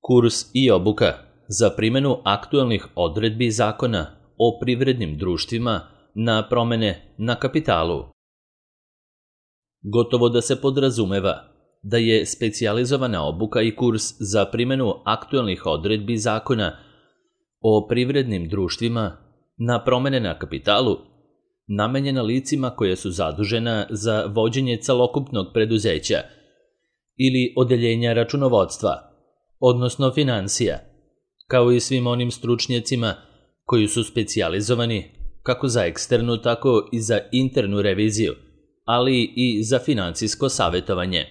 Kurs i obuka za primjenu aktuelnih odredbi Zakona o privrednim društvima na promene na kapitalu. Gotovo da se podrazumeva da je specijalizovana obuka i kurs za primjenu aktuelnih odredbi Zakona o privrednim društvima na promene na kapitalu namenjena licima koja su zadužena za vođenje celokupnog preduzeća ili odeljenja računovodstva, odnosno finansija, kao i svim onim stručnjacima koji su specijalizovani kako za eksternu, tako i za internu reviziju, ali i za finansijsko savjetovanje.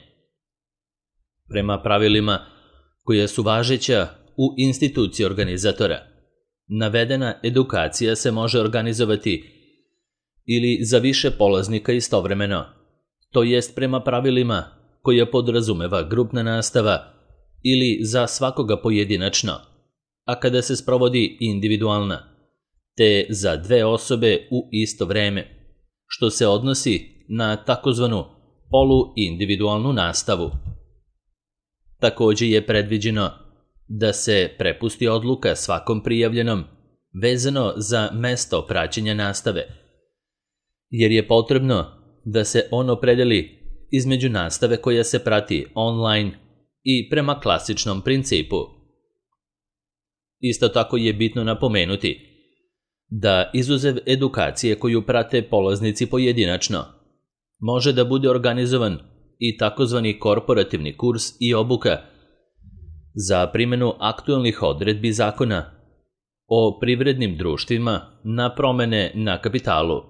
Prema pravilima koja su važeća u instituciji organizatora, navedena edukacija se može organizovati ili za više polaznika istovremeno, to jest prema pravilima koja podrazumeva grupna nastava ili za svakoga pojedinačno, a kada se sprovodi individualna, te za dve osobe u isto vreme, što se odnosi na takozvanu poluindividualnu nastavu. Također je predviđeno da se prepusti odluka svakom prijavljenom vezano za mesto praćenja nastave, jer je potrebno da se on opredeli između nastave koja se prati online i prema klasičnom principu. Isto tako je bitno napomenuti da izuzev edukacije koju prate polaznici pojedinačno, može da bude organizovan i takozvani korporativni kurs i obuka za primjenu aktuelnih odredbi Zakona o privrednim društvima na promene na kapitalu.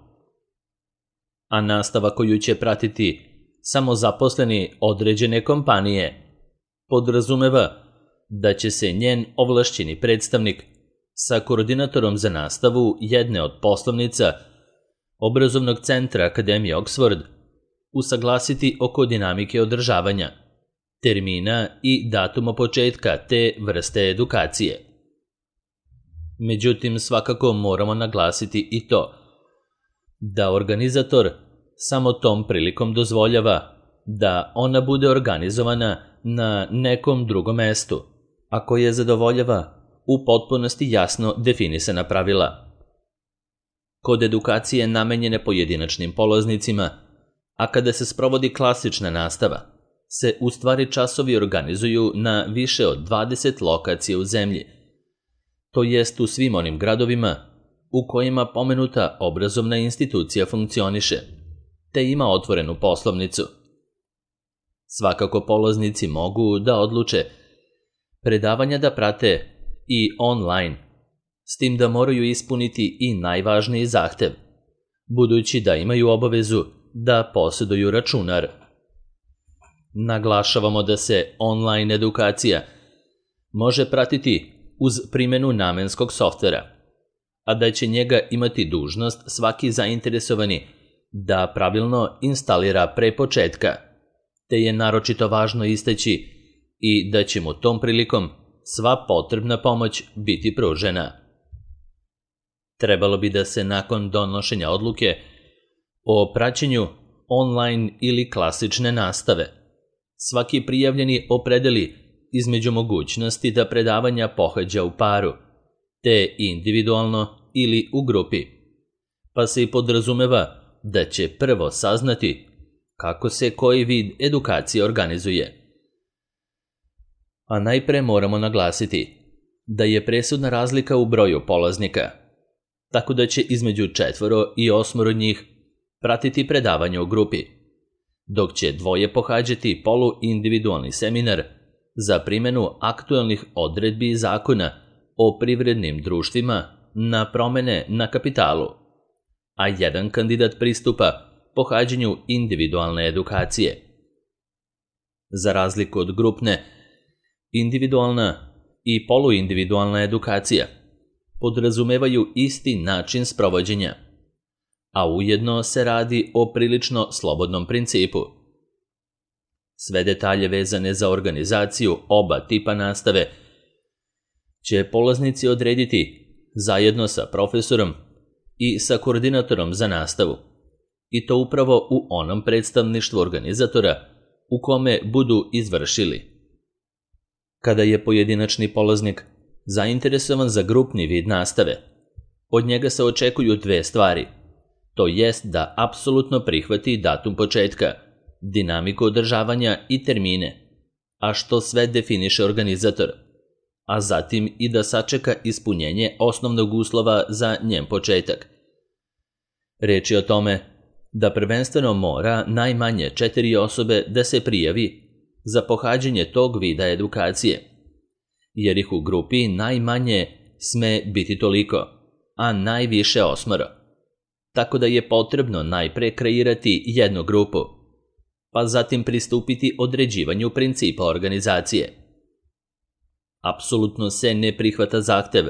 A nastava koju će pratiti samozaposleni određene kompanije podrazumeva da će se njen ovlašćeni predstavnik sa koordinatorom za nastavu jedne od poslovnica Obrazovnog centra Akademije Oxford usaglasiti oko dinamike održavanja, termina i datuma početka te vrste edukacije. Međutim, svakako moramo naglasiti i to da organizator samo tom prilikom dozvoljava da ona bude organizovana na nekom drugom mestu, a koje zadovoljava u potpunosti jasno definisana pravila. Kod edukacije namenjene pojedinačnim polaznicima, a kada se sprovodi klasična nastava, se u stvari časovi organizuju na više od 20 lokacija u zemlji, to jest u svim onim gradovima u kojima pomenuta obrazovna institucija funkcioniše, te ima otvorenu poslovnicu. Svakako polaznici mogu da odluče predavanja da prate i online, s tim da moraju ispuniti i najvažniji zahtev, budući da imaju obavezu da posjeduju računar. Naglašavamo da se online edukacija može pratiti uz primjenu namenskog softvera, a da će njega imati dužnost svaki zainteresovani da pravilno instalira pre početka, te je naročito važno istaći i da će mu tom prilikom sva potrebna pomoć biti pružena. Trebalo bi da se nakon donošenja odluke o praćenju online ili klasične nastave svaki prijavljeni opredeli između mogućnosti da predavanja pohađa u paru, te individualno ili u grupi, pa se i podrazumeva da će prvo saznati kako se koji vid edukacije organizuje. A najpre moramo naglasiti da je presudna razlika u broju polaznika, tako da će između 4 i 8 njih pratiti predavanje u grupi, dok će 2 pohađati poluindividualni seminar za primjenu aktuelnih odredbi Zakona o privrednim društvima na promene na kapitalu, a 1 kandidat pristupa pohađanju individualne edukacije. Za razliku od grupne, individualna i poluindividualna edukacija podrazumevaju isti način sprovođenja, a ujedno se radi o prilično slobodnom principu. Sve detalje vezane za organizaciju oba tipa nastave će polaznici odrediti zajedno sa profesorom i sa koordinatorom za nastavu, i to upravo u onom predstavništvu organizatora u kome budu izvršili. Kada je pojedinačni polaznik zainteresovan za grupni vid nastave, od njega se očekuju dve stvari. To jest da apsolutno prihvati datum početka, dinamiku održavanja i termine, a što sve definiše organizator, a zatim i da sačeka ispunjenje osnovnog uslova za njen početak. Reč je o tome da prvenstveno mora najmanje 4 osobe da se prijavi za pohađanje tog vida edukacije, jer ih u grupi najmanje sme biti toliko, a najviše 8. Tako da je potrebno najpre kreirati jednu grupu, pa zatim pristupiti određivanju principa organizacije. Apsolutno se ne prihvata zahtev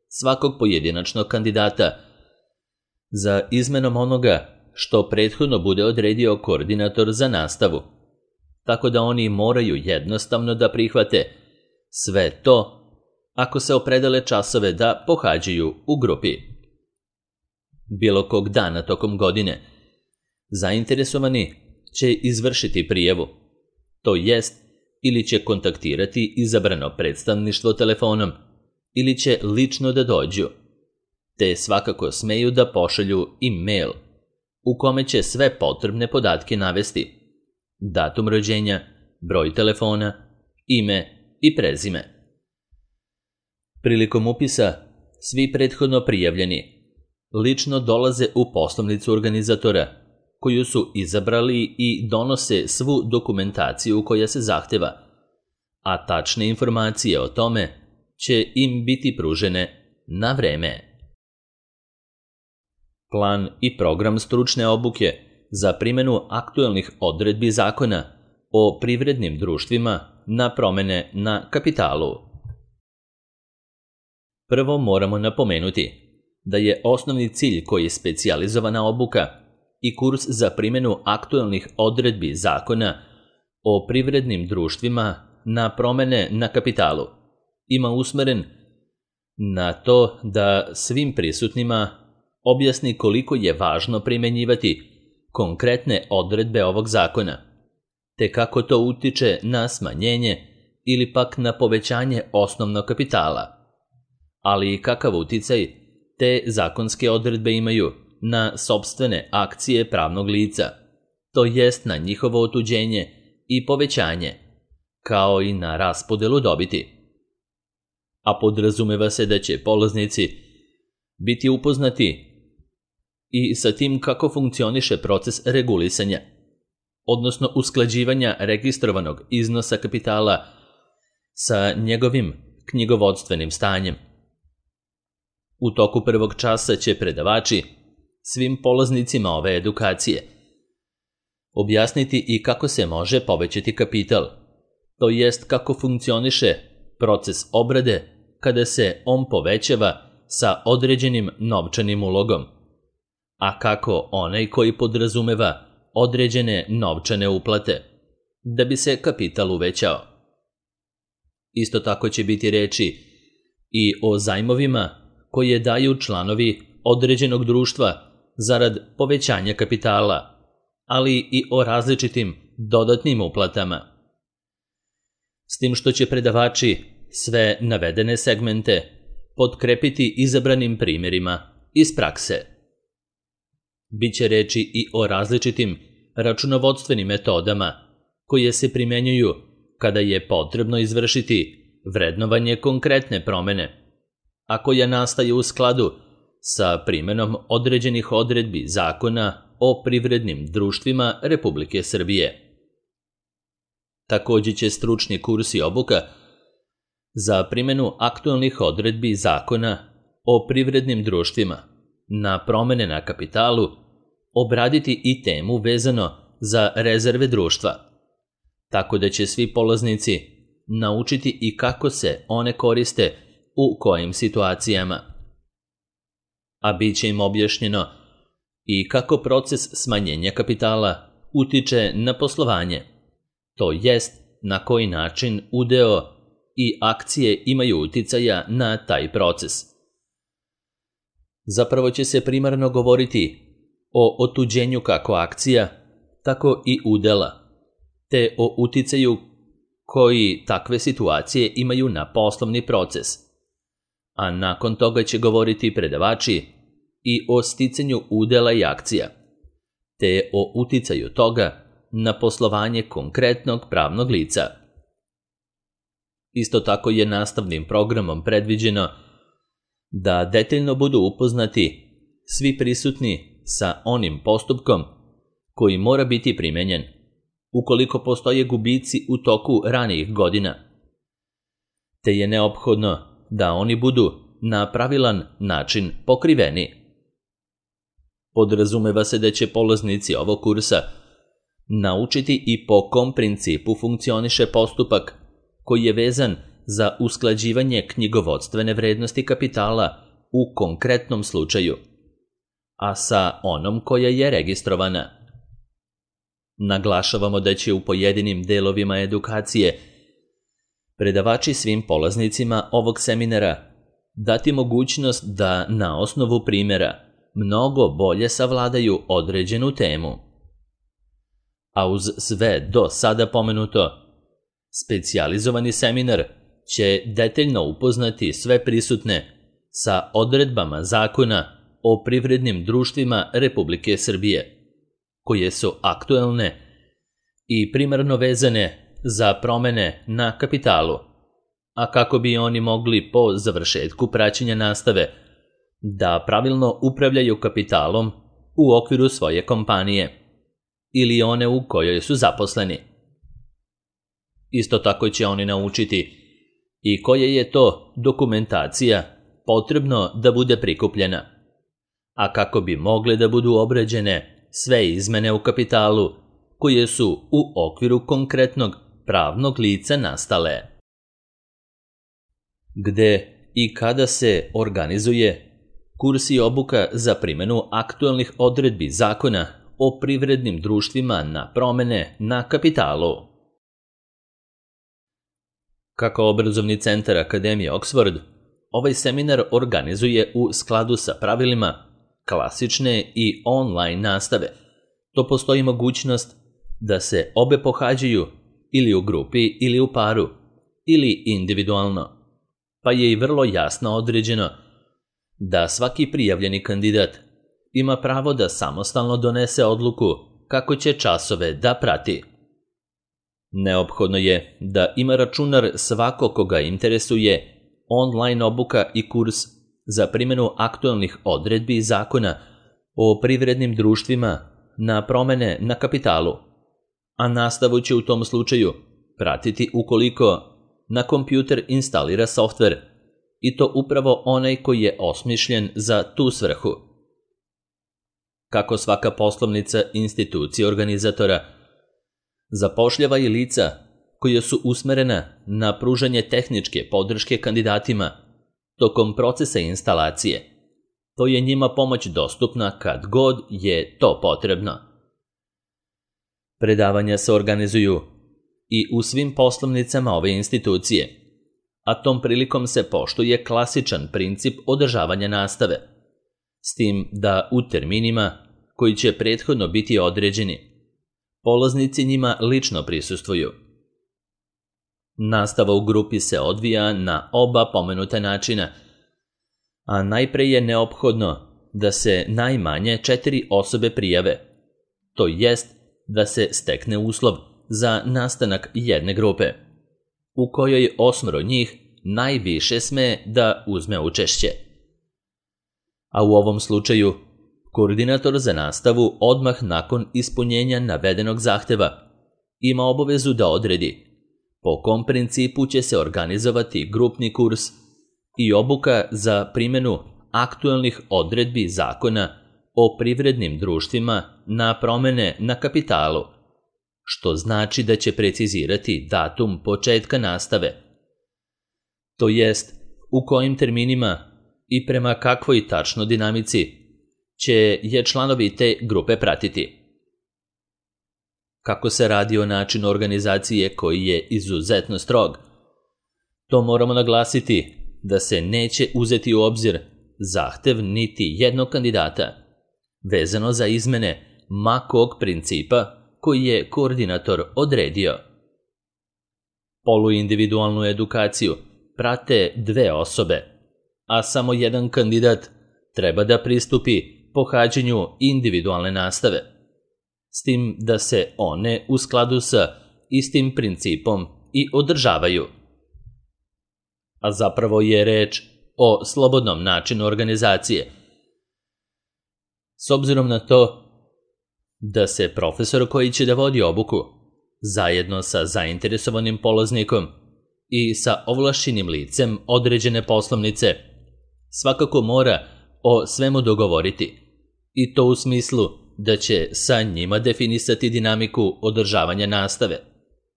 svakog pojedinačnog kandidata za izmenom onoga što prethodno bude odredio koordinator za nastavu, tako da oni moraju jednostavno da prihvate sve to ako se opredele časove da pohađaju u grupi. Bilo kog dana tokom godine zainteresovani će izvršiti prijavu, to jest ili će kontaktirati izabrano predstavništvo telefonom ili će lično da dođu, te svakako smeju da pošalju i mail u kome će sve potrebne podatke navesti: datum rođenja, broj telefona, ime i prezime. Prilikom upisa svi prethodno prijavljeni lično dolaze u poslovnicu organizatora, koju su izabrali i donose svu dokumentaciju koja se zahteva, a tačne informacije o tome će im biti pružene na vreme. Plan i program stručne obuke za primjenu aktuelnih odredbi zakona o privrednim društvima na promene na kapitalu. Prvo moramo napomenuti da je osnovni cilj koji je specijalizovana obuka i kurs za primjenu aktuelnih odredbi zakona o privrednim društvima na promene na kapitalu ima usmeren na to da svim prisutnima objasni koliko je važno primjenjivati konkretne odredbe ovog zakona, te kako to utiče na smanjenje ili pak na povećanje osnovnog kapitala, ali i kakav uticaj te zakonske odredbe imaju na sopstvene akcije pravnog lica, to jest na njihovo otuđenje i povećanje, kao i na raspodelu dobiti. A podrazumeva se da će polaznici biti upoznati i sa tim kako funkcioniše proces regulisanja, odnosno usklađivanja registrovanog iznosa kapitala sa njegovim knjigovodstvenim stanjem. U toku prvog časa će predavači svim polaznicima ove edukacije objasniti i kako se može povećati kapital, to jest kako funkcioniše proces obrade kada se on povećava sa određenim novčanim ulogom, a kako onaj koji podrazumeva određene novčane uplate da bi se kapital uvećao. Isto tako će biti reči i o zajmovima koje daju članovi određenog društva zarad povećanja kapitala, ali i o različitim dodatnim uplatama. S tim što će predavači sve navedene segmente potkrepiti izabranim primjerima iz prakse. Biće reči i o različitim računovodstvenim metodama koje se primjenjuju kada je potrebno izvršiti vrednovanje konkretne promene, a koja nastaje u skladu sa primjenom određenih odredbi zakona o privrednim društvima Republike Srbije. Također će stručni kurs i obuka za primjenu aktualnih odredbi zakona o privrednim društvima na promene na kapitalu obraditi i temu vezano za rezerve društva, tako da će svi polaznici naučiti i kako se one koriste u kojim situacijama. A bit će im objašnjeno i kako proces smanjenja kapitala utiče na poslovanje, to jest na koji način udeo i akcije imaju uticaja na taj proces. Zapravo će se primarno govoriti o otuđenju kako akcija, tako i udela, te o uticaju koji takve situacije imaju na poslovni proces, a nakon toga će govoriti predavači i o sticanju udela i akcija, te o uticaju toga na poslovanje konkretnog pravnog lica. Isto tako je nastavnim programom predviđeno da detaljno budu upoznati svi prisutni sa onim postupkom koji mora biti primenjen ukoliko postoje gubici u toku ranijih godina, te je neophodno da oni budu na pravilan način pokriveni. Podrazumeva se da će polaznici ovog kursa naučiti i po kom principu funkcioniše postupak koji je vezan za usklađivanje knjigovodstvene vrednosti kapitala u konkretnom slučaju, a sa onom koja je registrovana. Naglašavamo da će u pojedinim delovima edukacije predavači svim polaznicima ovog seminara dati mogućnost da na osnovu primjera mnogo bolje savladaju određenu temu. A uz sve do sada pomenuto, specijalizovani seminar će detaljno upoznati sve prisutne sa odredbama Zakona o privrednim društvima Republike Srbije, koje su aktuelne i primarno vezane za promene na kapitalu, a kako bi oni mogli po završetku praćenja nastave da pravilno upravljaju kapitalom u okviru svoje kompanije ili one u kojoj su zaposleni. Isto tako će oni naučiti i koja je to dokumentacija potrebno da bude prikupljena, a kako bi mogle da budu obrađene sve izmene u kapitalu koje su u okviru konkretnog pravnog lica nastale. Gde i kada se organizuje kurs i obuka za primjenu aktuelnih odredbi Zakona o privrednim društvima na promene na kapitalu? Kako obrazovni centar Akademije Oxford, ovaj seminar organizuje u skladu sa pravilima klasične i online nastave. To postoji mogućnost da se obe pohađaju ili u grupi ili u paru, ili individualno, pa je i vrlo jasno određeno da svaki prijavljeni kandidat ima pravo da samostalno donese odluku kako će časove da prati. Neophodno je da ima računar svako koga interesuje online obuka i kurs za primjenu aktuelnih odredbi Zakona o privrednim društvima na promene na kapitalu, a nastavu će u tom slučaju pratiti ukoliko na kompjuter instalira softver, i to upravo onaj koji je osmišljen za tu svrhu. Kako svaka poslovnica institucije organizatora zapošljava i lica koja su usmerena na pružanje tehničke podrške kandidatima tokom procesa instalacije, to je njima pomoć dostupna kad god je to potrebno. Predavanja se organizuju i u svim poslovnicama ove institucije, a tom prilikom se poštuje klasičan princip održavanja nastave, s tim da u terminima koji će prethodno biti određeni, polaznici njima lično prisustvuju. Nastava u grupi se odvija na oba pomenuta načina, a najpre je neophodno da se najmanje 4 osobe prijave, to jest da se stekne uslov za nastanak jedne grupe, u kojoj 8 njih najviše sme da uzme učešće. A u ovom slučaju, koordinator za nastavu odmah nakon ispunjenja navedenog zahteva ima obavezu da odredi po kom principu će se organizovati grupni kurs i obuka za primjenu aktuelnih odredbi Zakona o privrednim društvima na promene na kapitalu, što znači da će precizirati datum početka nastave, to jest u kojim terminima i prema kakvoj tačno dinamici će je članovi te grupe pratiti. Kako se radi o načinu organizacije koji je izuzetno strog, to moramo naglasiti da se neće uzeti u obzir zahtev niti jednog kandidata, vezano za izmene ma kog principa koji je koordinator odredio. Poluindividualnu edukaciju prate 2 osobe, a samo jedan kandidat treba da pristupi pohađanju individualne nastave, s tim da se one u skladu sa istim principom i održavaju. A zapravo je reč o slobodnom načinu organizacije. S obzirom na to da se profesor koji će da vodi obuku, zajedno sa zainteresovanim polaznikom i sa ovlašćenim licem određene poslovnice, svakako mora o svemu dogovoriti, i to u smislu da će sa njima definisati dinamiku održavanja nastave,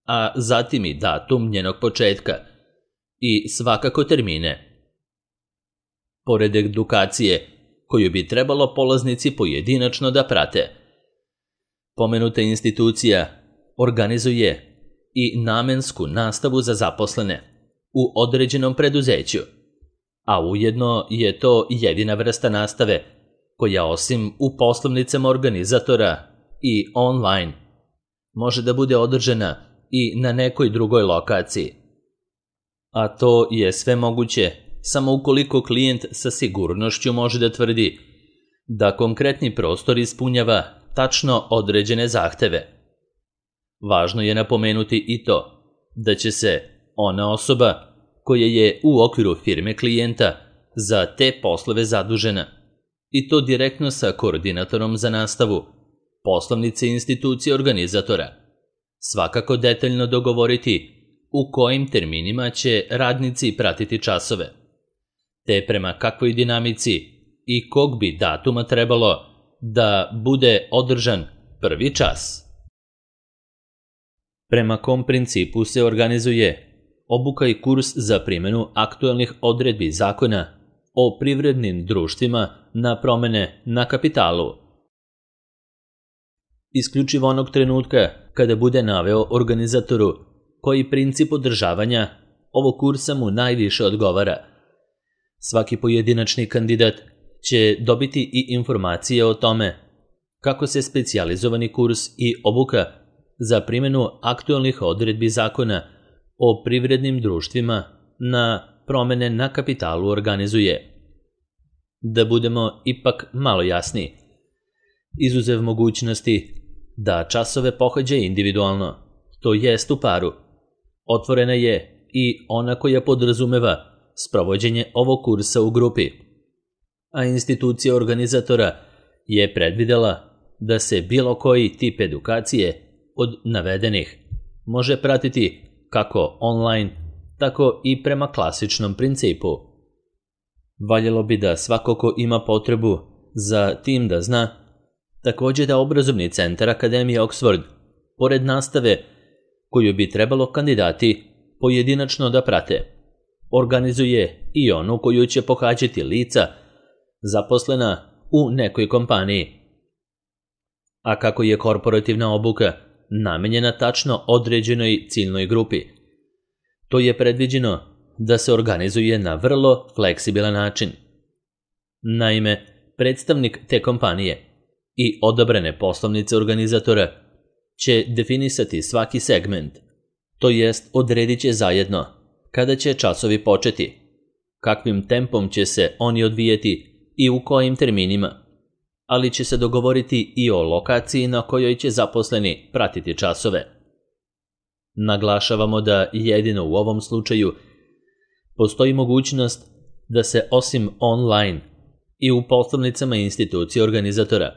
a zatim i datum njenog početka i svakako termine. Pored edukacije koju bi trebalo polaznici pojedinačno da prate, pomenuta institucija organizuje i namensku nastavu za zaposlene u određenom preduzeću, a ujedno je to jedina vrsta nastave koja osim u poslovnicama organizatora i online može da bude održana i na nekoj drugoj lokaciji. A to je sve moguće samo ukoliko klijent sa sigurnošću može da tvrdi da konkretni prostor ispunjava tačno određene zahteve. Važno je napomenuti i to da će se ona osoba koja je u okviru firme klijenta za te poslove zadužena, i to direktno sa koordinatorom za nastavu poslovnice institucije organizatora, svakako detaljno dogovoriti u kojim terminima će radnici pratiti časove, te prema kakvoj dinamici i kog bi datuma trebalo da bude održan prvi čas. Prema kom principu se organizuje obuka i kurs za primjenu aktuelnih odredbi zakona o privrednim društvima na promene na kapitalu. Isključivo onog trenutka kada bude naveo organizatoru koji princip održavanja ovog kursa mu najviše odgovara. Svaki pojedinačni kandidat će dobiti i informacije o tome kako se specijalizovani kurs i obuka za primjenu aktuelnih odredbi zakona o privrednim društvima na promene na kapitalu organizuje. Da budemo ipak malo jasniji, izuzev mogućnosti da časove pohađa individualno, to jest u paru, otvorena je i ona koja podrazumeva sprovođenje ovog kursa u grupi, a institucija organizatora je predvidela da se bilo koji tip edukacije od navedenih može pratiti kako online, tako i prema klasičnom principu. Valjalo bi da svako ko ima potrebu za tim da zna također da obrazovni centar Akademije Oxford, pored nastave koju bi trebalo kandidati pojedinačno da prate, organizuje i onu koju će pohađati lica zaposlena u nekoj kompaniji. A kako je korporativna obuka namenjena tačno određenoj ciljnoj grupi, to je predviđeno da se organizuje na vrlo fleksibilan način. Naime, predstavnik te kompanije i odabrane poslovnice organizatora će definisati svaki segment, to jest odredit će zajedno kada će časovi početi, kakvim tempom će se oni odvijeti i u kojim terminima, ali će se dogovoriti i o lokaciji na kojoj će zaposleni pratiti časove. Naglašavamo da jedino u ovom slučaju postoji mogućnost da se osim online i u poslovnicama institucije organizatora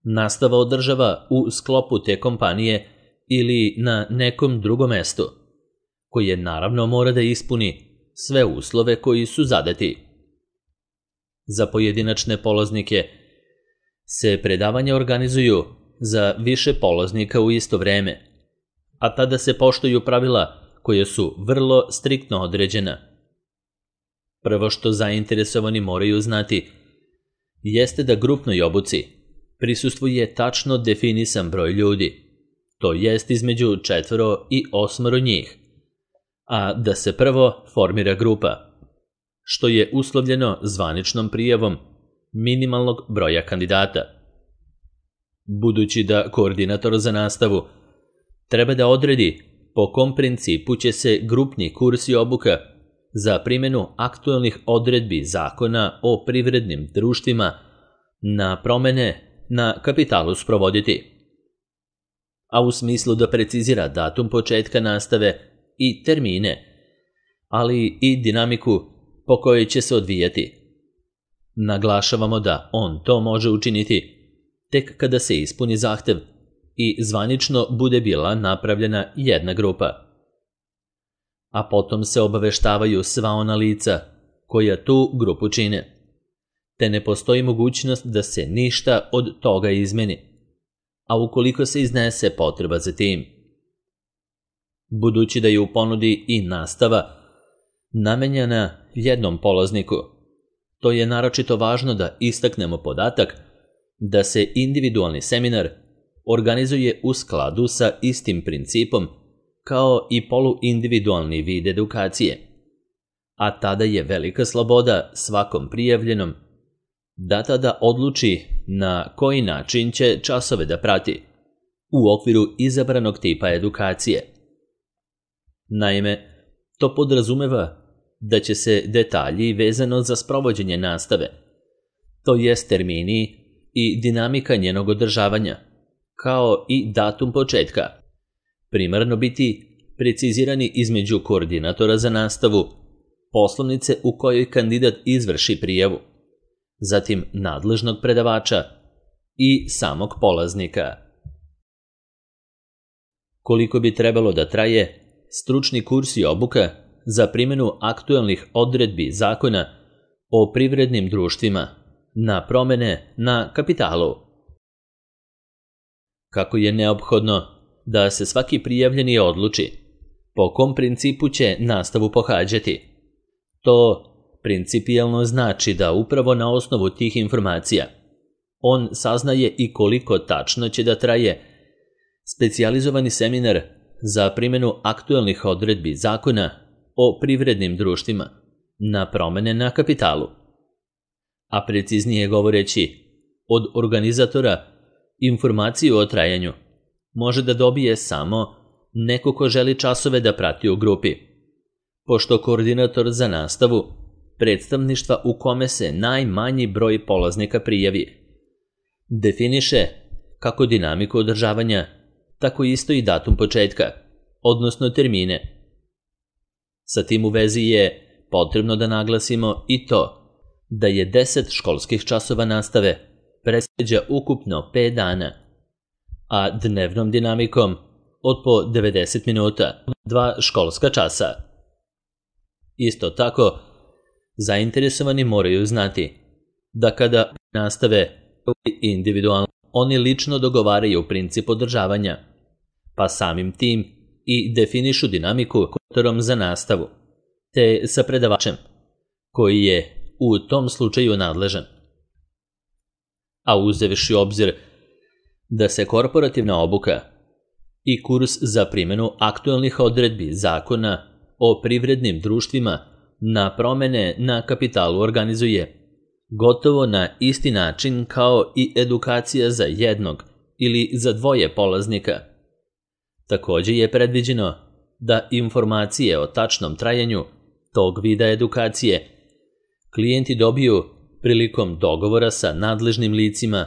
nastava održava u sklopu te kompanije ili na nekom drugom mestu, koje naravno mora da ispuni sve uslove koji su zadati. Za pojedinačne polaznike se predavanja organizuju za više polaznika u isto vreme, a tada se poštuju pravila koje su vrlo striktno određena. Prvo što zainteresovani moraju znati jeste da grupnoj obuci prisustvuje tačno definisan broj ljudi, to jest između 4 i 8 njih, a da se prvo formira grupa, što je uslovljeno zvaničnom prijavom minimalnog broja kandidata. Budući da koordinator za nastavu treba da odredi po kom principu će se grupni kurs i obuka za primjenu aktualnih odredbi Zakona o privrednim društvima na promjene na kapitalu sprovoditi, a u smislu da precizira datum početka nastave i termine, ali i dinamiku po kojoj će se odvijati. Naglašavamo da on to može učiniti tek kada se ispuni zahtev i zvanično bude bila napravljena jedna grupa. A potom se obaveštavaju sva ona lica koja tu grupu čine, te ne postoji mogućnost da se ništa od toga izmeni, a ukoliko se iznese potreba za tim. Budući da je u ponudi i nastava namenjena jednom polazniku, to je naročito važno da istaknemo podatak da se individualni seminar organizuje u skladu sa istim principom kao i poluindividualni vid edukacije, a tada je velika sloboda svakom prijavljenom da tada odluči na koji način će časove da prati u okviru izabranog tipa edukacije. Naime, to podrazumeva da će se detalji vezano za sprovođenje nastave, to jest termini i dinamika njenog održavanja, kao i datum početka, primarno biti precizirani između koordinatora za nastavu, poslovnice u kojoj kandidat izvrši prijavu, zatim nadležnog predavača i samog polaznika. Koliko bi trebalo da traje stručni kurs i obuka za primjenu aktualnih odredbi Zakona o privrednim društvima na promjene na kapitalu? Kako je neophodno da se svaki prijavljeni odluči po kom principu će nastavu pohađati, to principijelno znači da upravo na osnovu tih informacija on saznaje i koliko tačno će da traje specijalizovani seminar za primjenu aktualnih odredbi Zakona o privrednim društvima na promjene na kapitalu. A preciznije govoreći, od organizatora informaciju o trajanju može da dobije samo neko ko želi časove da prati u grupi, pošto koordinator za nastavu predstavništva u kome se najmanji broj polaznika prijavi definiše kako dinamiku održavanja, tako isto i datum početka, odnosno termine. Sa tim u vezi je potrebno da naglasimo i to da je 10 školskih časova nastave predviđa ukupno 5 dana, a dnevnom dinamikom od po 90 minuta, 2 školska časa. Isto tako, zainteresovani moraju znati da kada nastave individualno, oni lično dogovaraju princip održavanja, pa samim tim i definišu dinamiku koordinatorom za nastavu, te sa predavačem, koji je u tom slučaju nadležan. A uzevši obzir da se korporativna obuka i kurs za primjenu aktualnih odredbi Zakona o privrednim društvima na promjene na kapitalu organizuje gotovo na isti način kao i edukacija za jednog ili za dvoje polaznika. Također je predviđeno da informacije o tačnom trajanju tog vida edukacije klijenti dobiju prilikom dogovora sa nadležnim licima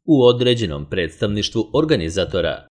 u određenom predstavništvu organizatora.